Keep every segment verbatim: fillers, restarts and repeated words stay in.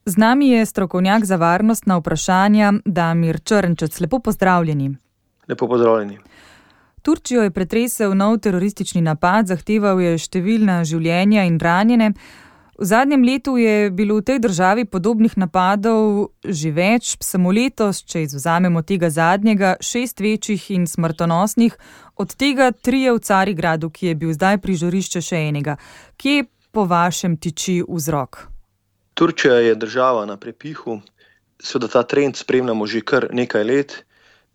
Z nami je strokovnjak za varnostna vprašanja Damir Črnčec. Lepo pozdravljeni. Lepo pozdravljeni. Turčijo je pretresel nov teroristični napad, zahteval je številna življenja in ranjene. V zadnjem letu je bilo v tej državi podobnih napadov že več, samo letos, če izvzamemo tega zadnjega, šest večjih in smrtonosnih, od tega trije v Carigradu, ki je bil zdaj prizorišče še enega. Kje po vašem tiči vzrok? Turčija je država na prepihu, seveda ta trend spremljamo že kar nekaj let.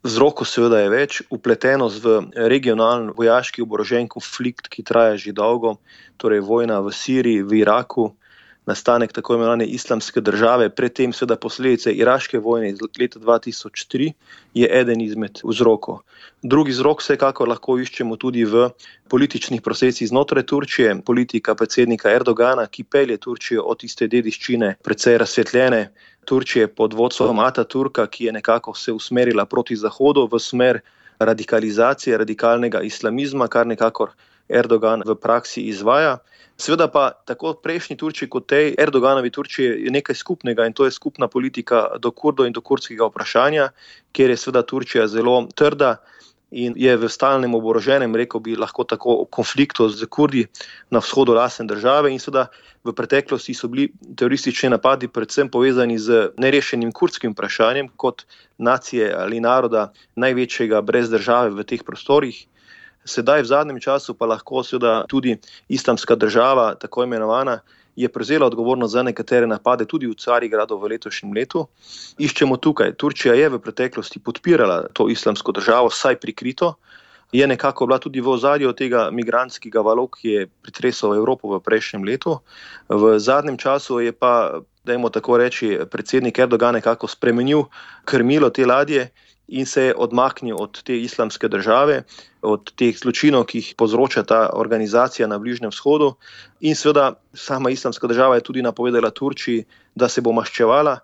Vzrokov seveda je več, vpletenost v regionalni vojaški oborožen konflikt, ki traja že dolgo, torej vojna v Siriji, v Iraku, nastanek tako imenovane islamske države, predtem seveda posledice iraške vojne iz leta dva tisoč tri je eden izmed vzrokov. Drugi vzrok vsekakor lahko iščemo tudi v političnih procesih znotraj Turčije, politika predsednika Erdogana, ki pelje Turčijo od tiste dediščine precej razsvetljene Turčije pod vodstvom Ataturka, ki je nekako se usmerila proti Zahodu v smer radikalizacije, radikalnega islamizma, kar nekako Erdogan v praksi izvaja. Seveda pa tako prejšnji Turčiji kot tej Erdoganovi Turčiji je nekaj skupnega in to je skupna politika do Kurdov in do kurdskega vprašanja, kjer je seveda Turčija zelo trda in je v stalnem oboroženem, rekel bi lahko tako, konfliktu z Kurdi na vzhodu lastne države in seveda v preteklosti so bili teroristični napadi predvsem povezani z nerešenim kurdskim vprašanjem kot nacije ali naroda največjega brez države v teh prostorih. Sedaj v zadnjem času pa lahko seveda tudi islamska država, tako imenovana, je prevzela odgovornost za nekatere napade tudi v Carigradu v letošnjem letu. Iščemo tukaj, Turčija je v preteklosti podpirala to islamsko državo, vsaj prikrito, je nekako bila tudi v ozadju tega migrantskega valu, ki je pretresal Evropo v prejšnjem letu. V zadnjem času je pa, dajmo tako reči, predsednik Erdogan nekako spremenil krmilo te ladje in se je odmaknil od te islamske države, od teh zločinov, ki jih povzroča ta organizacija na Bližnjem vzhodu. In seveda sama islamska država je tudi napovedala Turčiji, da se bo maščevala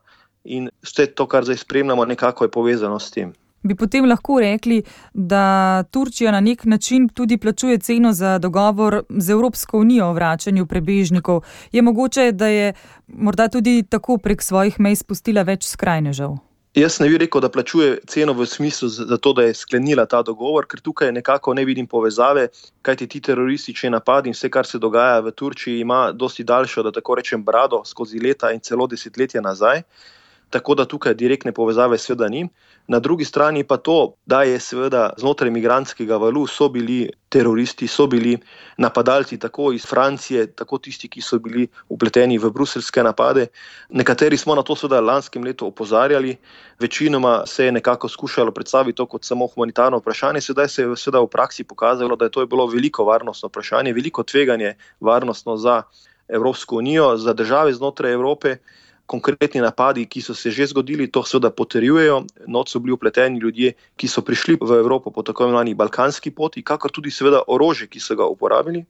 in vse to, kar zdaj spremljamo, nekako je povezano s tem. Bi potem lahko rekli, da Turčija na nek način tudi plačuje ceno za dogovor z Evropsko unijo o vračanju prebežnikov. Je mogoče, da je morda tudi tako prek svojih mej spustila več skrajnežev? Jaz ne bi rekel, da plačuje ceno v smislu za to, da je sklenila ta dogovor, ker tukaj nekako ne vidim povezave, kajti ti teroristični napadi in vse, kar se dogaja v Turčiji, ima dosti daljšo, da tako rečem, brado skozi leta in celo desetletja nazaj. Tako da tukaj direktne povezave seveda ni. Na drugi strani pa to, da je seveda znotraj migrantskega valu so bili teroristi, so bili napadalci tako iz Francije, tako tisti, ki so bili vpleteni v bruseljske napade. Nekateri smo na to seveda lanskem letu opozarjali, večinoma se je nekako skušalo predstaviti to kot samo humanitarno vprašanje, sedaj se je seveda v praksi pokazalo, da je to bilo veliko varnostno vprašanje, veliko tveganje varnostno za Evropsko unijo, za države znotraj Evrope. Konkretni napadi, ki so se že zgodili, to seveda potrjujejo. Not so bili vpleteni ljudje, ki so prišli v Evropo po tako imenovani balkanski poti, kakor tudi seveda orožje, ki so ga uporabili.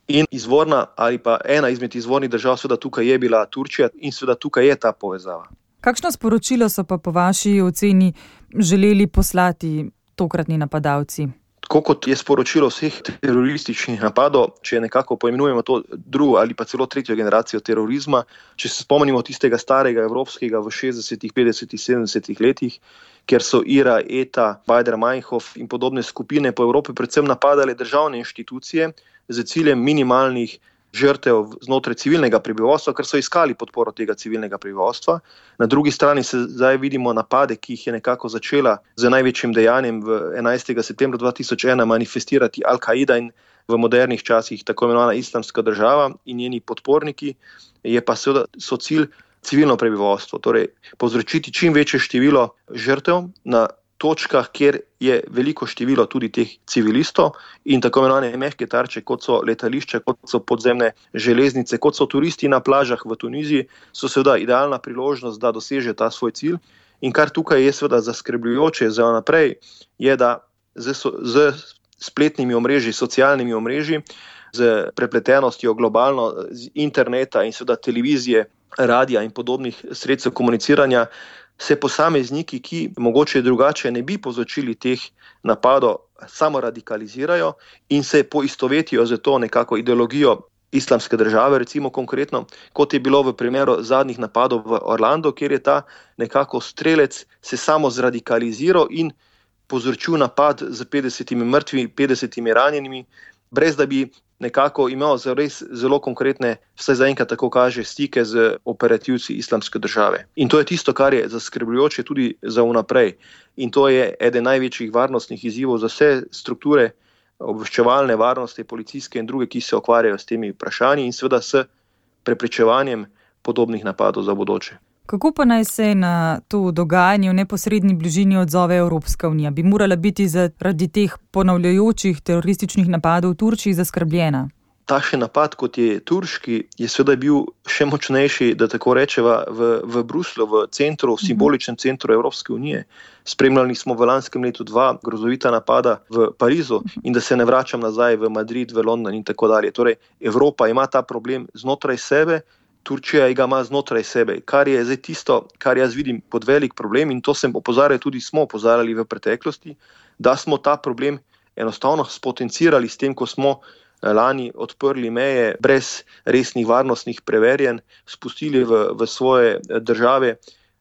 In izvorna ali pa ena izmed izvornih držav seveda tukaj je bila Turčija in seveda tukaj je ta povezava. Kakšno sporočilo so pa po vaši oceni želeli poslati tokratni napadalci? Tako kot je sporočilo vseh terorističnih napadov, če nekako poimenujemo to drugo ali pa celo tretjo generacijo terorizma, če se spomnimo tistega starega evropskega v šestdesetih, petdesetih, sedemdesetih letih, kjer so I R A, E T A, Baader-Meinhof in podobne skupine po Evropi predvsem napadale državne inštitucije z ciljem minimalnih žrtev znotraj civilnega prebivalstva, ker so iskali podporo tega civilnega prebivalstva. Na drugi strani se zdaj vidimo napade, ki jih je nekako začela z največjim dejanjem v enajstega septembra dva tisoč ena manifestirati Al-Kaida in v modernih časih tako imenovana islamska država in njeni podporniki, je pa seveda so cilj civilno prebivalstvo, torej povzročiti čim večje število žrtev na točkah, kjer je veliko število tudi teh civilistov in tako imenovane mehke tarče, kot so letališče, kot so podzemne železnice, kot so turisti na plažah v Tuniziji, so seveda idealna priložnost, da doseže ta svoj cilj. In kar tukaj je seveda zaskrbljujoče za naprej, je, da z, z spletnimi omrežji, socialnimi omrežji, z prepletenostjo globalno, z interneta in seveda televizije, radija in podobnih sredstev komuniciranja, se posamezniki, ki mogoče drugače ne bi povzročili teh napadov, samo radikalizirajo in se poistovetijo z to nekako ideologijo Islamske države, recimo konkretno, kot je bilo v primeru zadnjih napadov v Orlando, kjer je ta nekako strelec se samo zradikaliziral in povzročil napad z petdesetimi mrtvimi, petdesetimi ranjenimi, brez da bi nekako imel res zelo konkretne, vsaj zaenkrat tako kaže, stike z operativci Islamske države. In to je tisto, kar je zaskrbljujoče tudi za vnaprej. In to je eden največjih varnostnih izzivov za vse strukture obveščevalne varnosti, policijske in druge, ki se ukvarjajo s temi vprašanji in seveda s preprečevanjem podobnih napadov za bodoče. Kako pa naj se na to dogajanje v neposredni bližini odzove Evropska unija? Bi morala biti zaradi teh ponavljajočih terorističnih napadov v Turčiji zaskrbljena? Takšen napad, kot je turški, je seveda bil še močnejši, da tako rečeva, v, v Bruslju, v centru, v simboličnem centru Evropske unije. Spremljali smo v lanskem letu dva grozovita napada v Parizu in da se ne vračam nazaj v Madrid, v London in tako dalje. Torej, Evropa ima ta problem znotraj sebe, Turčija ga ima znotraj sebe, kar je zdaj tisto, kar jaz vidim pod velik problem in to sem opozarjal, tudi smo opozarjali v preteklosti, da smo ta problem enostavno spotencirali s tem, ko smo lani odprli meje brez resnih varnostnih preverjanj, spustili v, v svoje države,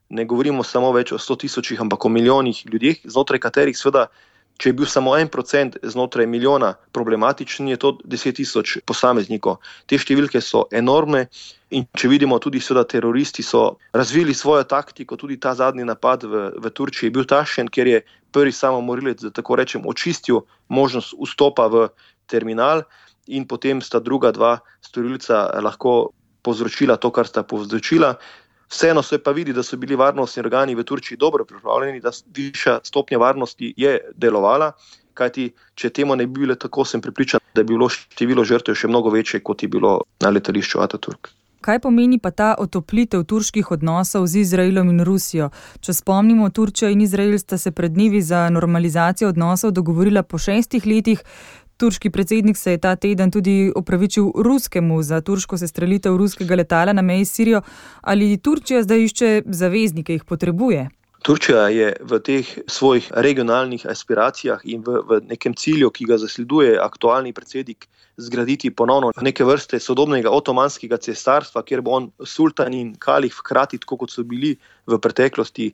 ne govorimo samo več o sto tisočih, ampak o milijonih ljudeh, znotraj katerih seveda, če je bil samo en procent znotraj milijona problematičen, je to deset tisoč posameznikov. Te številke so enormne in če vidimo tudi seveda teroristi so razvili svojo taktiko, tudi ta zadnji napad v, v Turčiji je bil takšen, ker je prvi samomorilec, da tako rečem, očistil možnost vstopa v terminal in potem sta druga dva storilca lahko povzročila to, kar sta povzročila. Vseeno se pa vidi, da so bili varnostni organi v Turčiji dobro pripravljeni, da višja stopnja varnosti je delovala, kajti če temu ne bi bilo tako, sem prepričan, da bi bilo število žrtev še mnogo večje, kot je bilo na letališču Ataturk. Kaj pomeni pa ta otoplitev turških odnosov z Izraelom in Rusijo? Če spomnimo, Turčija in Izrael sta se pred dnevi za normalizacijo odnosov dogovorila po šestih letih. Turški predsednik se je ta teden tudi opravičil ruskemu za turško sestrelitev ruskega letala na meji s Sirijo. Ali Turčija zdaj išče zaveznike, jih potrebuje? Turčija je v teh svojih regionalnih aspiracijah in v, v nekem cilju, ki ga zasleduje aktualni predsednik, zgraditi ponovno neke vrste sodobnega otomanskega cesarstva, kjer bo on sultan in kalif hkrati, tako kot so bili v preteklosti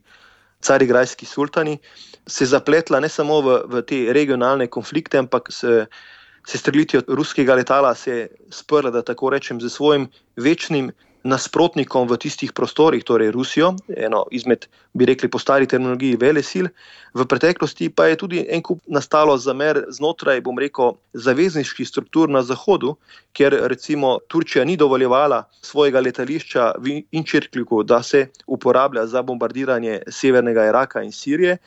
carigrajski sultani, se zapletla ne samo v, v te regionalne konflikte, ampak se, se strelitvijo ruskega letala se sprla, da tako rečem, z svojim večnim nasprotnikom v tistih prostorih, torej Rusijo, eno izmed, bi rekli po stari terminologiji, velesil. V preteklosti pa je tudi en kup nastalo zamer znotraj, bom rekel, zavezniških struktur na Zahodu, kjer recimo Turčija ni dovoljevala svojega letališča v Inčirkliku, da se uporablja za bombardiranje severnega Iraka in Sirije.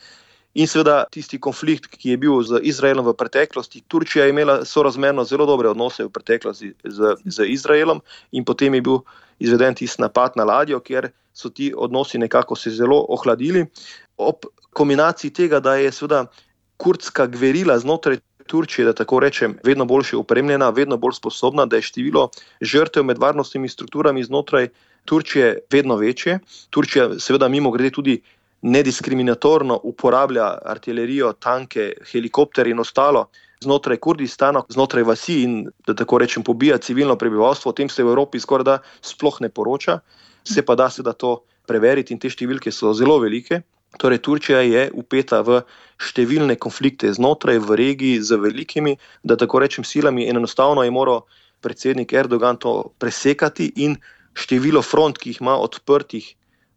In seveda tisti konflikt, ki je bil z Izraelom v preteklosti, Turčija je imela sorazmerno zelo dobre odnose v preteklosti z, z Izraelom in potem je bil izveden tisti napad na ladjo, kjer so ti odnosi nekako se zelo ohladili. Ob kombinaciji tega, da je seveda kurdska gverila znotraj Turčije, da tako rečem, vedno boljše opremljena, vedno bolj sposobna, da je število žrtev med varnostnimi strukturami znotraj Turčije vedno večje. Turčija seveda mimogrede tudi nediskriminatorno uporablja artilerijo, tanke, helikopter in ostalo znotraj Kurdistana, znotraj vasi in, da tako rečem, pobija civilno prebivalstvo. O tem se v Evropi skoraj da sploh ne poroča. Se pa da se da to preveriti in te številke so zelo velike. Torej, Turčija je upeta v številne konflikte znotraj, v regiji z velikimi, da tako rečem, silami in enostavno je moral predsednik Erdogan to presekati in število front, ki jih ima odprtih,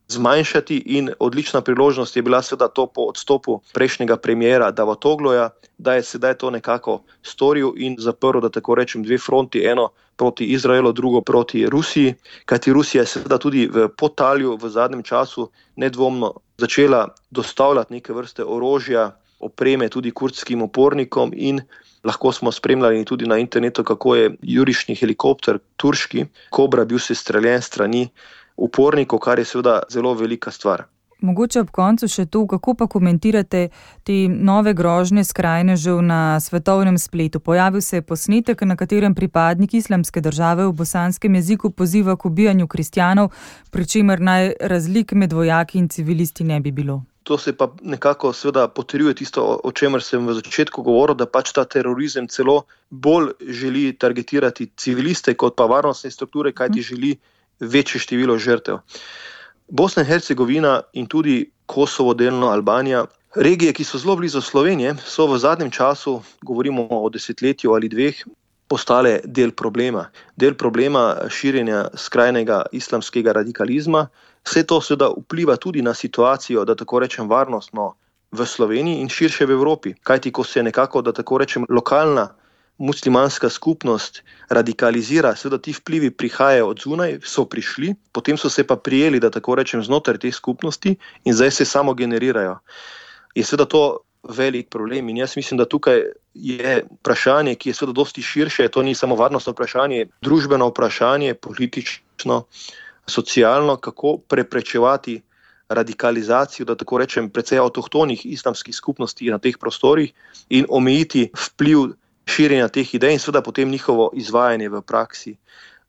zmanjšati in odlična priložnost je bila seveda to po odstopu prejšnjega premijera Davutogluja, da je sedaj to nekako storil in zaprl, da tako rečem, dve fronti, eno proti Izraelu, drugo proti Rusiji, kajti Rusija je seveda tudi v podtalju v zadnjem času nedvomno začela dostavljati neke vrste orožja, opreme tudi kurdskim upornikom in lahko smo spremljali tudi na internetu, kako je jurišni helikopter turški Kobra bil sestreljen strani upornikov, kar je seveda zelo velika stvar. Mogoče ob koncu še to, kako pa komentirate te nove grožnje skrajnežev na svetovnem spletu. Pojavil se je posnetek, na katerem pripadnik Islamske države v bosanskem jeziku poziva k ubijanju kristjanov, pri čemer naj razlik med vojaki in civilisti ne bi bilo. To se pa nekako seveda potrjuje tisto, o čemer sem v začetku govoril, da pač ta terorizem celo bolj želi targetirati civiliste kot pa varnostne strukture, kajti želi večje število žrtev. Bosna in Hercegovina in tudi Kosovo, delno Albanija, regije, ki so zelo blizu Slovenije, so v zadnjem času, govorimo o desetletju ali dveh, postale del problema. Del problema širjenja skrajnega islamskega radikalizma. Vse to seveda vpliva tudi na situacijo, da tako rečem, varnostno v Sloveniji in širše v Evropi. Kajti, ko se nekako, da tako rečem, lokalna muslimanska skupnost radikalizira, seveda ti vplivi prihajajo od zunaj, so prišli, potem so se pa prijeli, da tako rečem, znotraj teh skupnosti in zdaj se samo generirajo. Je seveda to velik problem in jaz mislim, da tukaj je vprašanje, ki je seveda dosti širše, to ni samo varnostno vprašanje, družbeno vprašanje, politično, socialno, kako preprečevati radikalizacijo, da tako rečem, precej avtohtonih islamskih skupnosti na teh prostorih in omejiti vpliv širjenja teh idej in seveda potem njihovo izvajanje v praksi.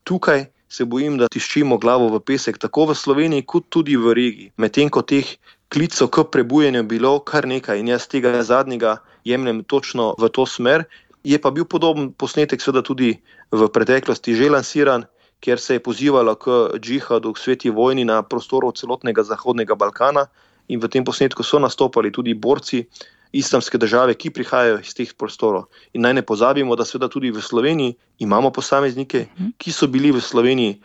Tukaj se bojim, da tiščimo glavo v pesek, tako v Sloveniji kot tudi v regiji. Medtem ko teh klicev k prebujanju bilo kar nekaj in jaz tega zadnjega jemljem točno v to smer, je pa bil podoben posnetek seveda tudi v preteklosti že lansiran, kjer se je pozivalo k džihadu, k sveti vojni na prostoru celotnega Zahodnega Balkana in v tem posnetku so nastopali tudi borci islamske države, ki prihajajo iz teh prostorov. In naj ne pozabimo, da seveda tudi v Sloveniji imamo posameznike, ki so bili v Sloveniji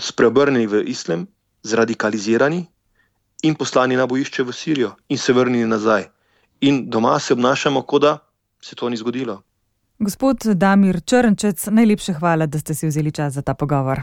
spreobrnjeni v islam, zradikalizirani in poslani na bojišče v Sirijo in se vrnili nazaj. In doma se obnašamo, kot da se to ni zgodilo. Gospod Damir Črnčec, najlepša hvala, da ste si vzeli čas za ta pogovor.